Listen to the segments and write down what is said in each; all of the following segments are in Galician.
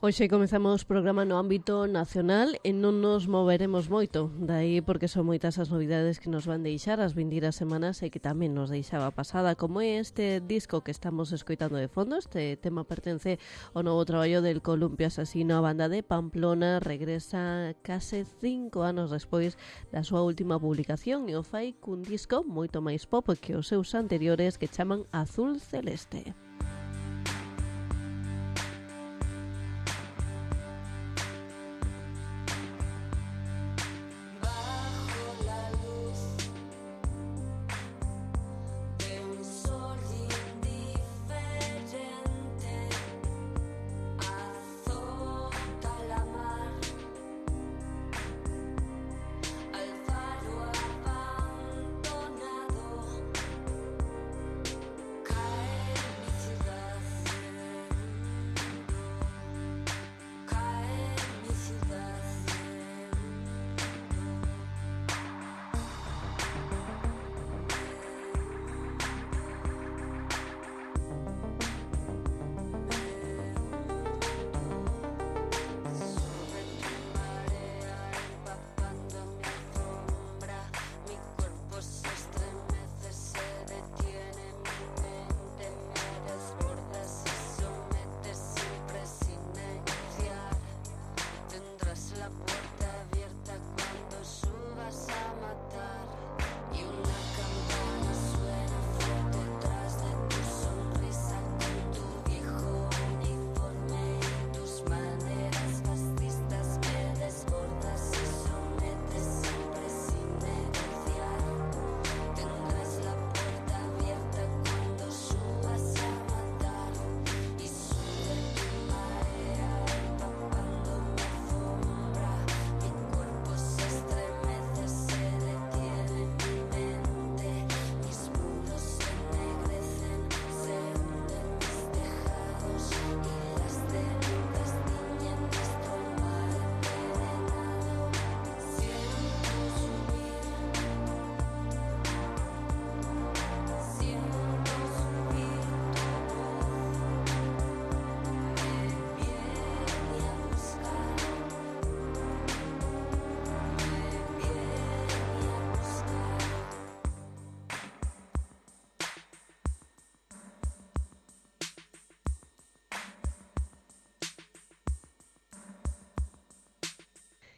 Hoxe comezamos programa no ámbito nacional e non nos moveremos moito, dai porque son moitas as novidades que nos van deixar as vindeiras semanas e que tamén nos deixaba pasada, como é este disco que estamos escoitando de fondo. Este tema pertence ao novo traballo del Columpio Asesino. A banda de Pamplona regresa case 5 anos despois da súa última publicación e o fai cun disco moito máis pop que os seus anteriores, que chaman Azul Celeste.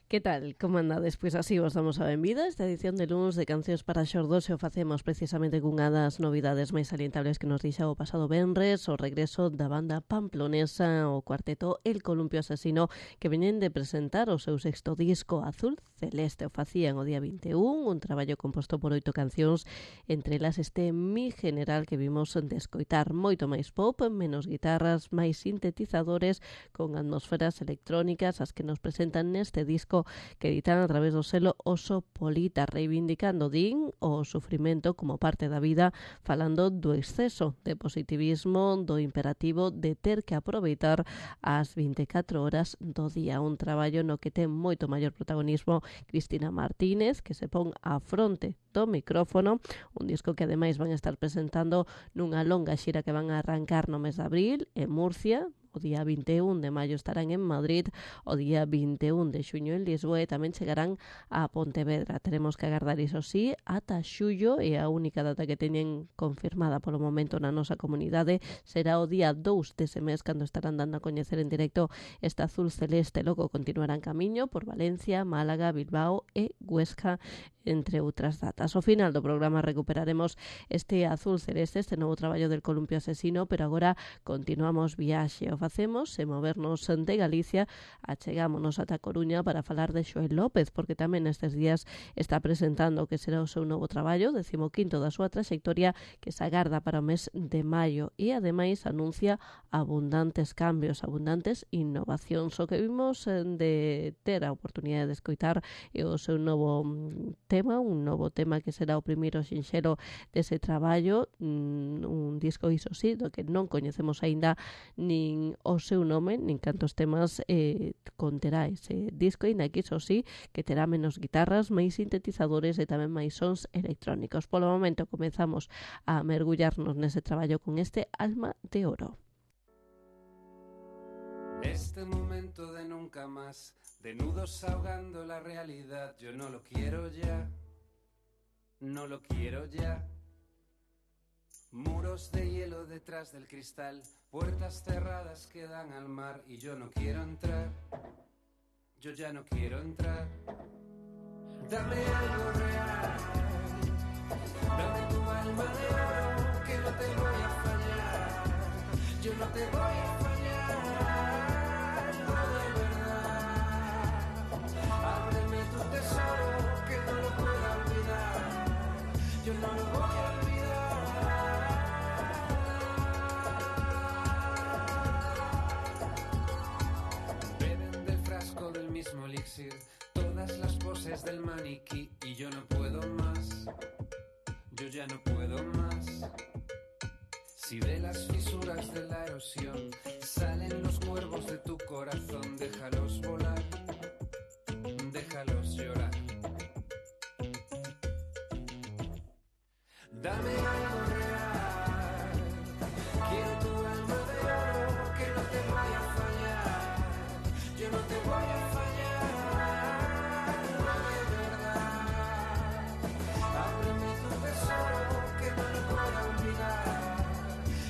Que tal? Como andades? Pois así vos damos a benvida. Esta edición de luns de Cancións para xordos e o facemos precisamente cunha das novidades máis salientables que nos deixa o pasado venres, o regreso da banda pamplonesa, o cuarteto El Columpio Asesino, que veñen de presentar o seu sexto disco Azul Celeste. O facían o día 21, un traballo composto por 8 cancións, entre elas este Mi General que vimos de escoitar, moito máis pop, menos guitarras, máis sintetizadores, con atmosferas electrónicas, as que nos presentan neste disco que editan a través do selo Oso Polita, reivindicando, din, o sufrimento como parte da vida, falando do exceso de positivismo, do imperativo de ter que aproveitar as 24 horas do día. Un traballo no que ten moito maior protagonismo Cristina Martínez, que se pon á fronte do micrófono, un disco que ademais van a estar presentando nunha longa xira que van a arrancar no mes de abril en Murcia. O día 21 de maio estarán en Madrid, o día 21 de xuño en Lisboa e tamén chegarán a Pontevedra. Teremos que agardar, iso sí, ata xullo, e a única data que teñen confirmada polo momento na nosa comunidade será o día 2 dese mes, cando estarán dando a coñecer en directo esta Azul Celeste. Logo continuarán camiño por Valencia, Málaga, Bilbao e Huesca, entre outras datas. Ao final do programa recuperaremos este Azul Celeste, este novo traballo del Columpio Asesino, pero agora continuamos viaxe. O facemos e movernos de Galicia, achegámonos ata Coruña para falar de Xoel López, porque tamén nestes días está presentando o que será o seu novo traballo, 15º da súa traxectoria, que se agarda para o mes de maio, e ademais anuncia abundantes cambios, abundantes innovacións. O que vimos de ter a oportunidade de escoitar e o seu novo tema, un novo tema que será o primeiro sinxelo dese traballo, un disco, iso sí, do que non coñecemos aínda nin o seu nome, nin cantos temas conterá ese disco, e que iso sí, que terá menos guitarras, máis sintetizadores e tamén máis sons electrónicos. Polo momento comezamos a mergullarnos nese traballo con este Alma de Oro. Este momento de nunca más, de nudos ahogando la realidad, yo no lo quiero ya, no lo quiero ya. Muros de hielo detrás del cristal, puertas cerradas que dan al mar y yo no quiero entrar, yo ya no quiero entrar. Dame algo real, dame tu alma de oro, que no te voy a fallar, yo no te voy a fallar, no de verdad. Ábreme tu tesoro, que no lo pueda olvidar, yo no lo voy a olvidar. Beben del frasco del mismo elixir todas las poses del maniquí y yo no puedo más, yo ya no puedo más. Si de las fisuras de la erosión salen los cuervos de tu corazón, déjalos volar, déjalos llorar. Dame algo real, quiero tu alma de oro, que no te vaya a fallar, yo no te voy a fallar, no de verdad. Ábreme tu tesoro, que no lo puedo olvidar,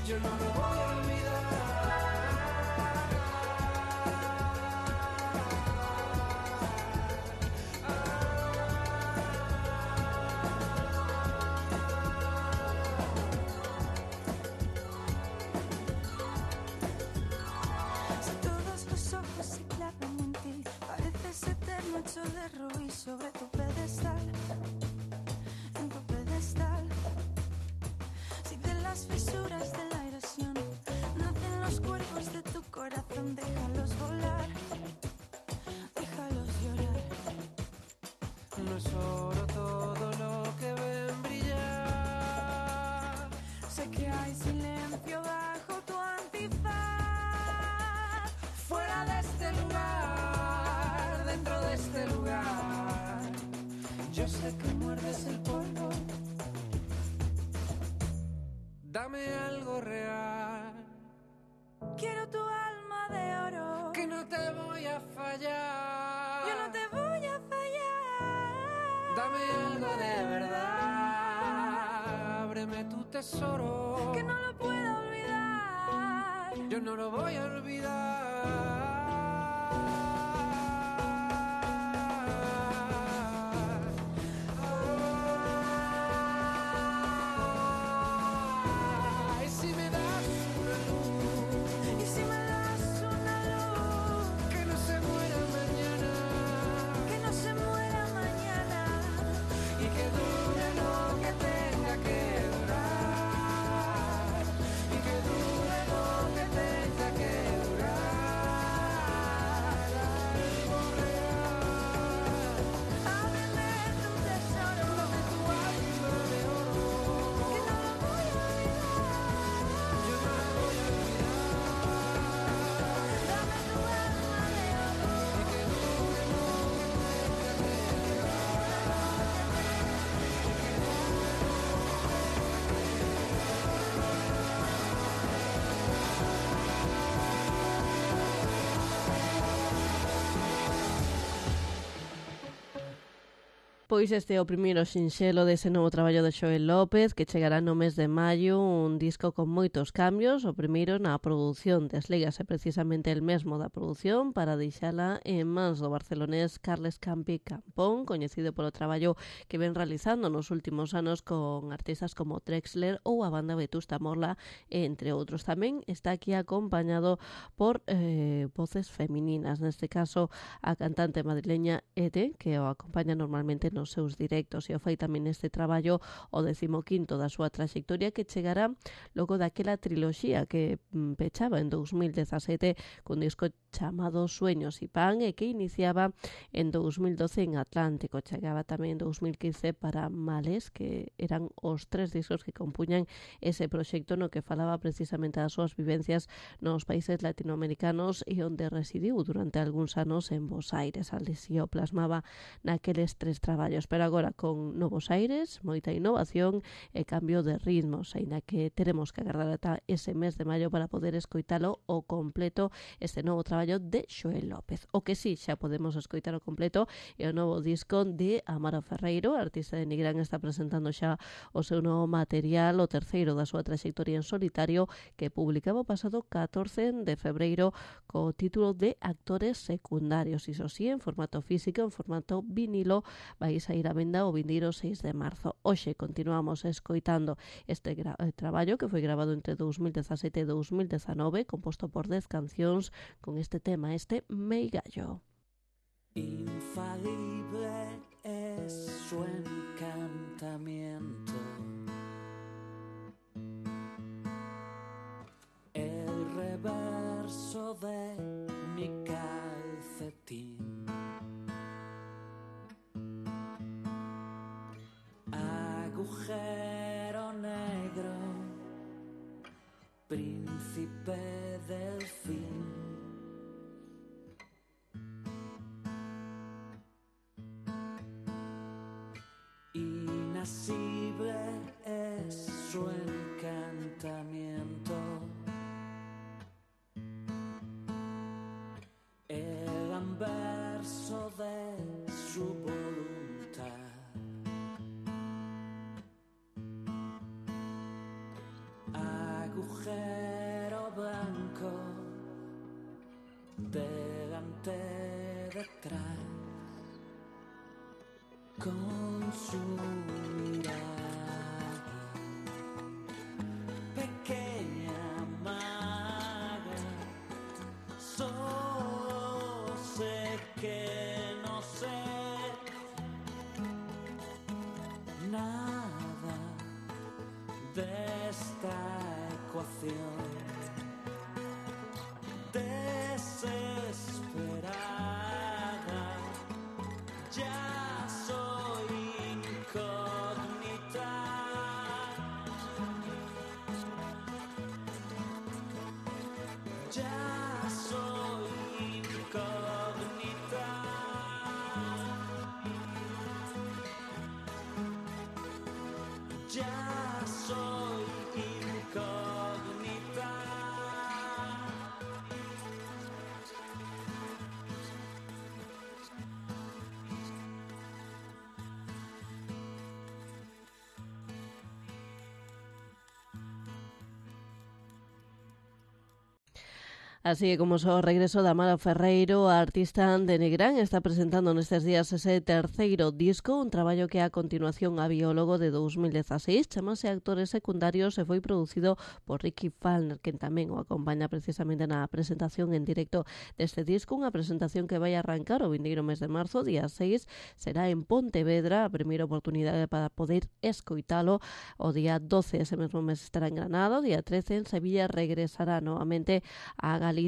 yo no lo voy a olvidar. Si todos los ojos se clavan en ti, pareces eterno hecho de rubí sobre tu pedestal, en tu pedestal. Si de las fisuras de la erosión nacen los cuerpos de tu corazón, déjalos volar, déjalos llorar. No es oro todo lo que ven brillar. Sé que hay silencio bajo tu antifaz. Fuera de este lugar, dentro de este lugar, yo sé que muerdes el polvo. Dame algo real, Quiero tu alma de oro, que no te voy a fallar. yo no te voy a fallar. Dame algo de verdad, ábreme tu tesoro, Que no lo puedo olvidar. yo no lo voy a olvidar. Ay, si me das una luz, Y si me das una luz, que no se muera mañana, que no se muera mañana, y que dure lo que tenga que durar, y que dure lo que tenga que durar. Algo real, ábreme tu tesoro, dame tu alma de oro, que no lo voy a olvidar. yo no la voy a olvidar, Dame tu alma de oro, y que dure lo que tenga que Pois este é o primeiro sinxelo dese novo traballo de Xoel López, que chegará no mes de maio, un disco con moitos cambios. O primeiro na produción, deslígase precisamente el mesmo da produción para deixala en mans do barcelonés Carles Campi Campón, coñecido polo traballo que ven realizando nos últimos anos con artistas como Trexler ou a banda Vetusta Morla, entre outros. Tamén está aquí acompañado por voces femininas, neste caso a cantante madrileña Ete, que o acompaña normalmente nos seus directos, e o fai tamén este traballo o 15º da súa traxectoria, que chegará logo daquela triloxía que pechaba en 2017 cun disco chamado Sueños y Pan e que iniciaba en 2012 en Atlántico. Chegaba tamén en 2015 para Males, que eran os 3 discos que compuñan ese proxecto no que falaba precisamente das súas vivencias nos países latinoamericanos e onde residiu durante algúns anos en Bos Aires. Alí si o plasmaba naqueles 3 traballos. traballos, pero agora con novos aires, moita innovación e cambio de ritmos, aínda que teremos que agardar ata ese mes de maio para poder escoitalo o completo este novo traballo de Xoel López. O que sí, xa podemos escoitar o completo é o novo disco de Amaro Ferreiro, a artista de Nigrán está presentando xa o seu novo material, o terceiro da súa traxectoria en solitario, que publicaba o pasado 14 de febreiro co título de Actores secundarios, iso sí, en formato físico, en formato vinilo, vai sair a venda o vindeiro 6 de marzo. Hoxe continuamos escoitando este traballo que foi grabado entre 2017 e 2019, composto por 10 cancións con este tema, este Meigallo. Infalible es su encantamiento, el reverso de mi calcetín, agujero negro, príncipe del fin. Inasible es su encantamiento, el anverso de su voluntad, agujero blanco, delante, detrás, con su mirada, pequeña maga, solo sé que no sé nada de esta ecuación desesperada. Ya soy incógnita, ya soy incógnita, ya soy incógnita. Así que como o regreso de Amaro Ferreiro, a artista de Nigrán está presentando nestes días ese terceiro disco, un traballo que a continuación a biólogo de 2016, chamase Actores secundarios e foi producido por Ricky Falner, quen tamén o acompaña precisamente na presentación en directo deste disco, unha presentación que vai arrancar o vindeiro mes de marzo, día 6, será en Pontevedra, a primeira oportunidade para poder escoitalo, o día 12 ese mesmo mes estará en Granada, o día 13 en Sevilla, regresará novamente a Galicia,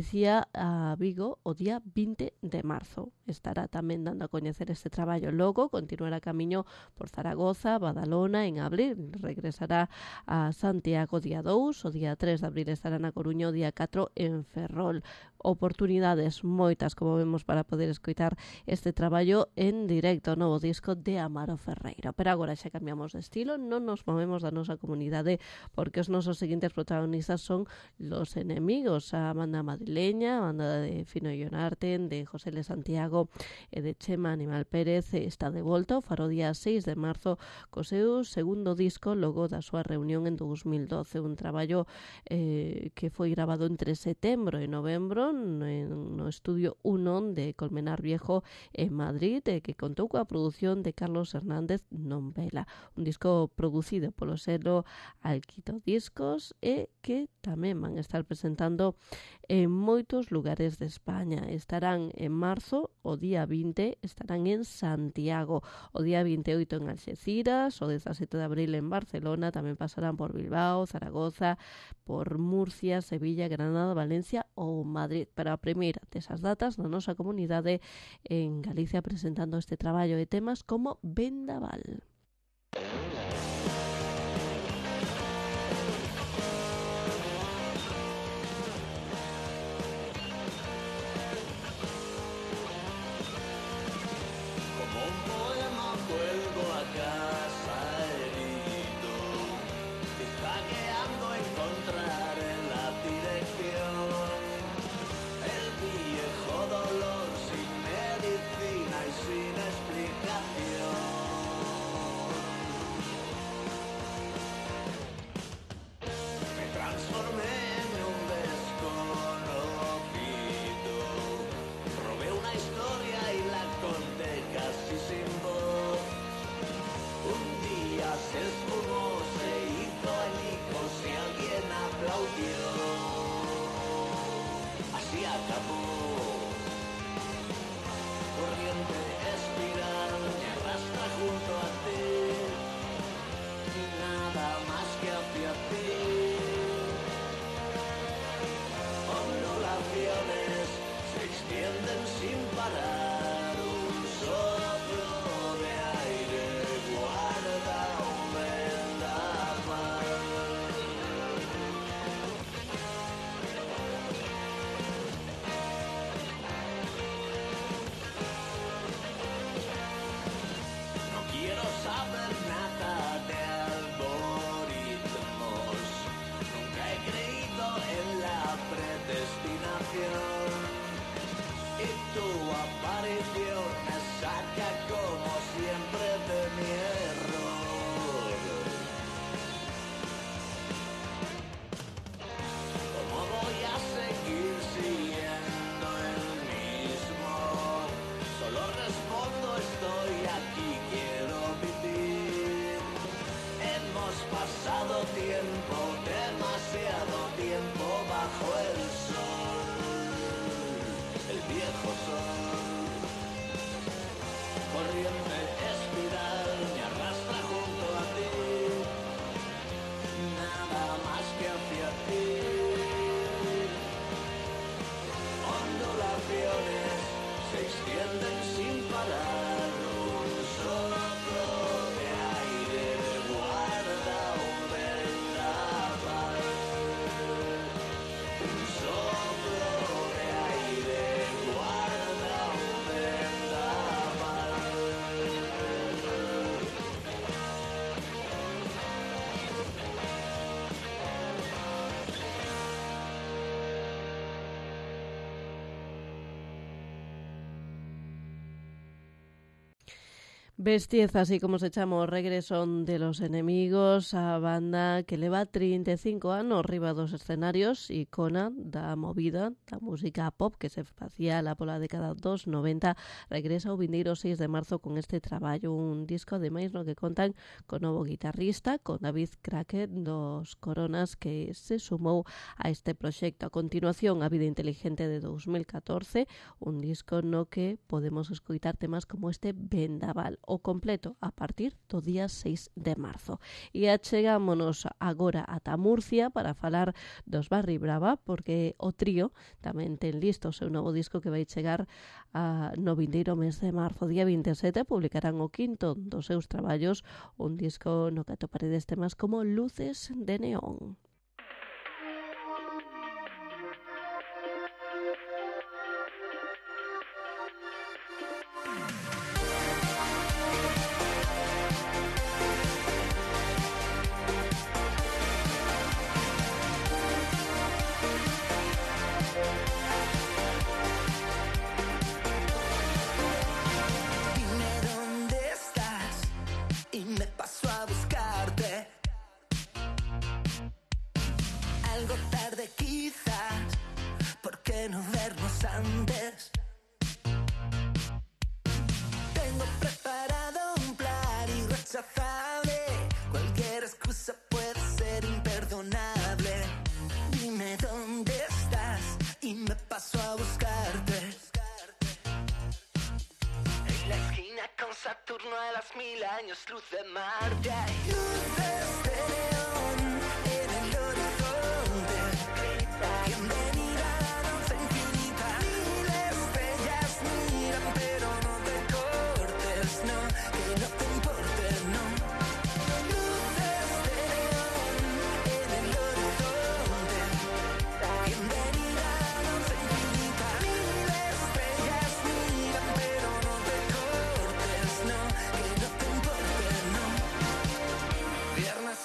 a Vigo, o día 20 de marzo. Estará tamén dando a coñecer este traballo. Logo continuará camiño por Zaragoza, Badalona, en abril. Regresará a Santiago día 2, o día 3 de abril estará na Coruña, o día 4 en Ferrol. Oportunidades moitas, como vemos, para poder escoitar este traballo en directo, novo disco de Amaro Ferreiro. Pero agora xa cambiamos de estilo, non nos movemos da nosa comunidade, porque os nosos seguintes protagonistas son Los Enemigos, a banda madrileña, a banda de Fino Ionarten, de José L. Santiago e de Chema Animal Pérez, está de volta o faro día 6 de marzo co seu segundo disco logo da súa reunión en 2012, un traballo que foi grabado entre setembro e novembro no estudio 1 de Colmenar Viejo en Madrid, que contou coa produción de Carlos Hernández Nombela, un disco producido polo selo Alquito Discos e que tamén van a estar presentando en moitos lugares de España. Estarán en marzo, o día 20, estarán en Santiago, o día 28 en Alxeciras, o 17 de abril en Barcelona, tamén pasarán por Bilbao, Zaragoza, por Murcia, Sevilla, Granada, Valencia ou Madrid. Para a primeira desas datas na nosa comunidade en Galicia presentando este traballo de temas como Vendaval. Como un poema se acabó. Corriente espiral me arrastra junto a ti, nada más que hacia ti. Ondulaciones se extienden sin parar, un soplo de aire guarda un vendaval. No quiero saber nada de algoritmos, nunca he creído en la predestinación, y tu aparición me saca como siempre de mi error. ¿Cómo voy a seguir siendo el mismo? Solo respondo estoy aquí, quiero vivir. Hemos pasado tiempo, demasiado tiempo bajo el sol, el viejo sol. Corriente espiral me arrastra junto a ti, nada más que hacia ti. Ondulaciones se extienden sin parar, un soplo de aire guarda un vendaval. Un soplo de aire guarda un vendaval. Bestiez, así como se echamos regreso de los enemigos, a banda que leva 35 anos riba dos escenarios, icona da movida, da música pop que se facía lá pola década dos 90, regresa o vindeiro 6 de marzo con este traballo, un disco ademais no que contan con novo guitarrista, con David Crackett dos Coronas, que se sumou a este proxecto. A continuación, A vida inteligente de 2014, un disco no que podemos escoitar temas como este Vendaval, o completo a partir do día 6 de marzo. E achegámonos agora ata Murcia para falar dos Barri Brava, porque o trío tamén ten listo o seu novo disco que vai chegar no vindeiro mes de marzo. Día 27 publicarán o quinto dos seus traballos, un disco no que atoparedes temas como Luces de Neón. Cualquier excusa puede ser imperdonable. Dime dónde estás y me paso a buscarte. En la esquina con Saturno a las 1000 años luz de Marte. Hay luces de neón en el horizonte. Bienvenida a la danza infinita. 1000 estrellas miran pero no te cortes, no, que no te importe, no.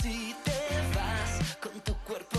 Si te vas con tu cuerpo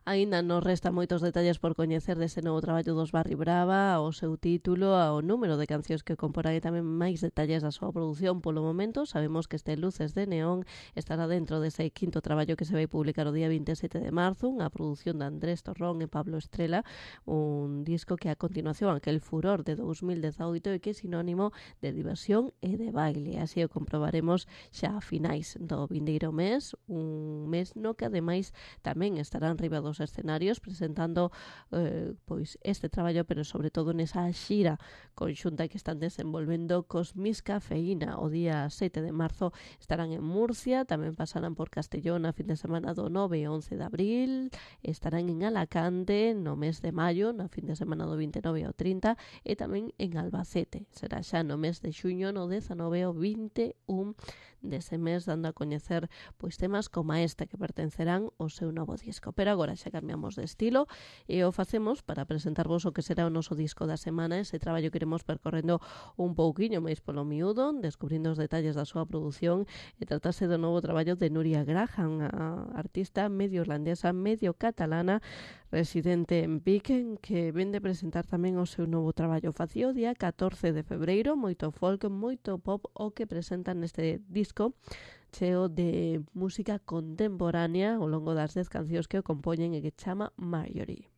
Aínda nos resta moitos detalles por coñecer dese novo traballo dos Barry Brava, o seu título, ao número de cancións que comporán e tamén máis detalles da súa produción. Polo momento, sabemos que este Luces de Neón estará dentro dese quinto traballo que se vai publicar o día 27 de marzo, unha produción de Andrés Torrón e Pablo Estrela, un disco que a continuación aquel furor de 2018 e que é sinónimo de diversión e de baile. Así o comprobaremos xa a finais do vindeiro mes, un mes no que ademais tamén estarán riba dos escenarios presentando pois este traballo, pero sobre todo nesa xira conxunta que están desenvolvendo cos Miss Cafeína. O día 7 de marzo estarán en Murcia, tamén pasarán por Castellón a fin de semana do 9 e 11 de abril, estarán en Alacante no mes de maio, na fin de semana do 29 ao 30, e tamén en Albacete. Será xa no mes de xuño, no 19 ao 21 dese mes, dando a coñecer pois temas como este que pertencerán ao seu novo disco. Pero agora xa cambiamos de estilo e o facemos para presentarvos o que será o noso disco da semana, ese traballo que iremos percorrendo un pouquiño máis polo miúdo, descubrindo os detalles da súa produción, e tratase do novo traballo de Nuria Graham, a artista medio irlandesa, medio catalana, residente en Vic, que ven de presentar tamén o seu novo traballo. Facía o día 14 de febreiro, moito folk, moito pop, o que presentan neste disco cheo de música contemporánea ao longo das 10 cancións que o compoñen e que chama Marjorie.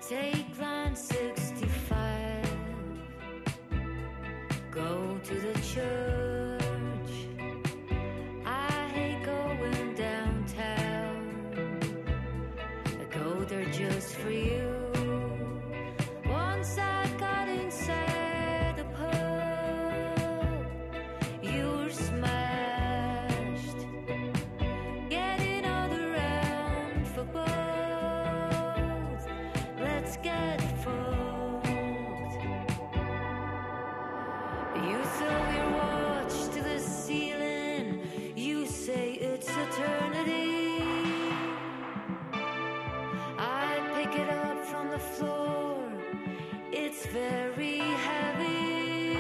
Take line 65, go to the church. I hate going downtown, I go there just for you. Once I got inside the pub, you were smashed, getting all around for both. Let's get fucked. You throw your watch to the ceiling, you say it's eternity. I pick it up from the floor, it's very heavy.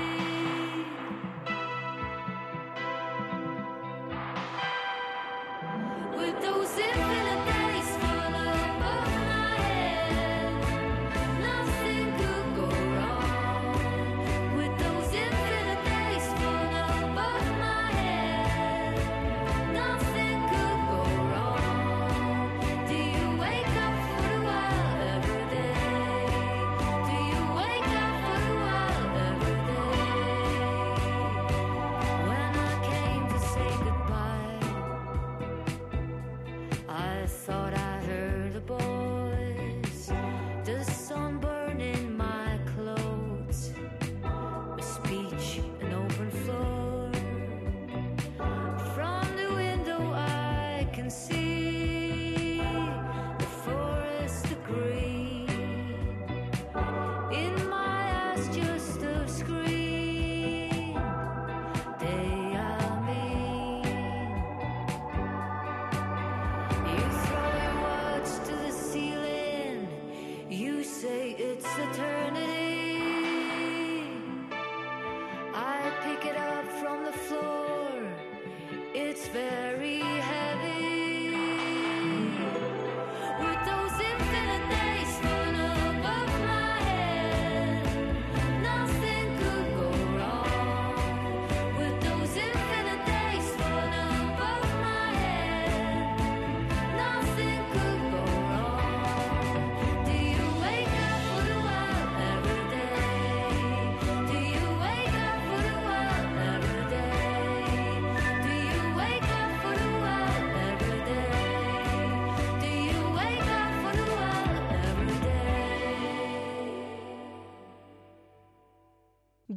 With those infinite days full above my head, nothing could go wrong. With those infinite days full above my head, nothing could go wrong. Do you wake up for a while every day? Do you wake up for a while every day? When I came to say goodbye, I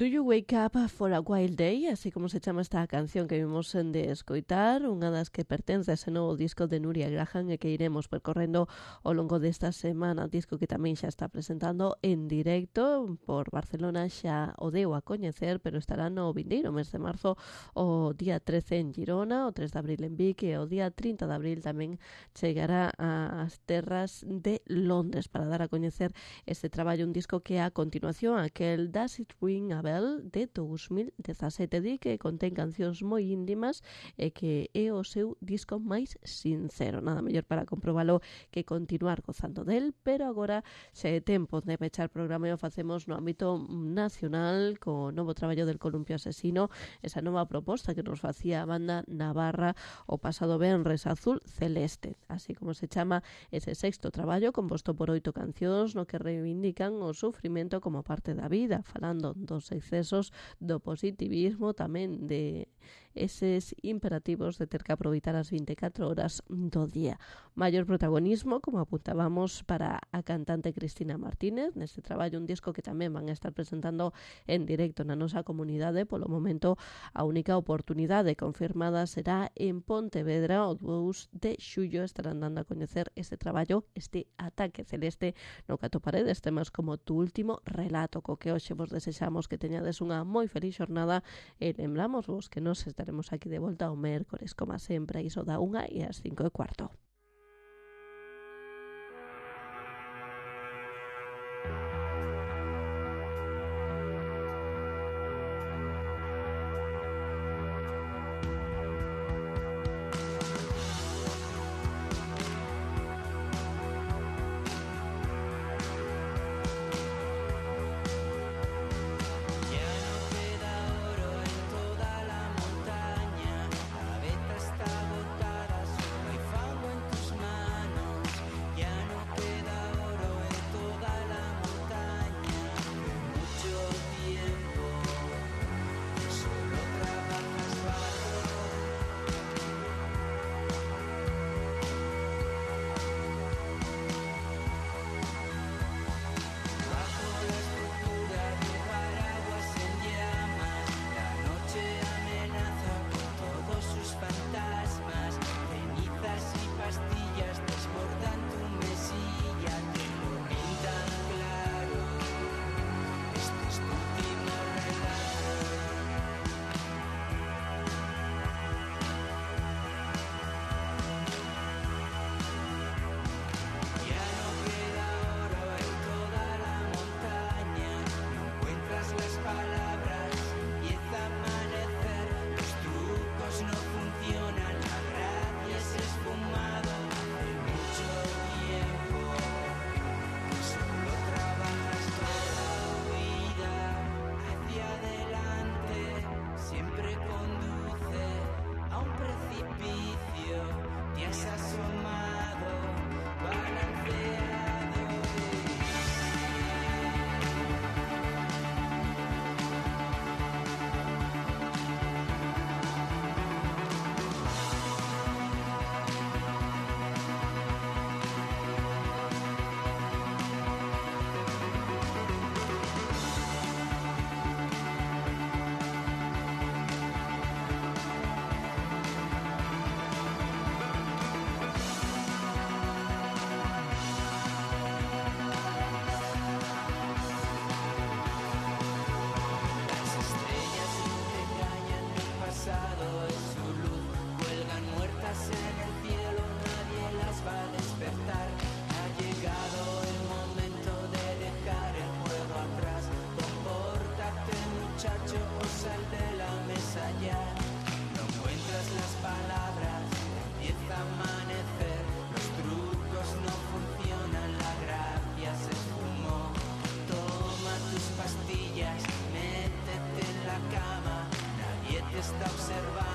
Do You Wake Up for a Wild Day, así como se chama esta canción que vimos de escoitar, unha das que pertence a ese novo disco de Nuria Graham e que iremos percorrendo ao longo desta semana, disco que tamén xa está presentando en directo por Barcelona, xa o deu a coñecer, pero estará no vindeiro mes de marzo, o día 13 en Girona, o 3 de abril en Vic e o día 30 de abril tamén chegará ás terras de Londres para dar a coñecer este traballo, un disco que a continuación aquel Does It Ring a Bell de 2017, di que contén cancións moi íntimas e que é o seu disco máis sincero. Nada mellor para comprobalo que continuar gozando del, pero agora xa é tempo de pechar programa e o facemos no ámbito nacional co novo traballo del Columpio Asesino, esa nova proposta que nos facía a banda navarra o pasado venres, Azul Celeste, así como se chama ese sexto traballo composto por 8 cancións no que reivindican o sufrimento como parte da vida, falando dos excesos do positivismo, tamén de eses imperativos de ter que aproveitar as 24 horas do día. Maior protagonismo, como apuntábamos, para a cantante Cristina Martínez neste traballo, un disco que tamén van a estar presentando en directo na nosa comunidade. Polo momento, a única oportunidade confirmada será en Pontevedra, o 2 de xullo estarán dando a coñecer este traballo, este Ataque Celeste, no que atoparedes temas como Tu Último Relato, co que hoxe vos desexamos que teñades unha moi feliz xornada e lembramos vos que nos estaremos aquí de volta o mércores, como sempre, iso da 1 e as 5:15. está observando.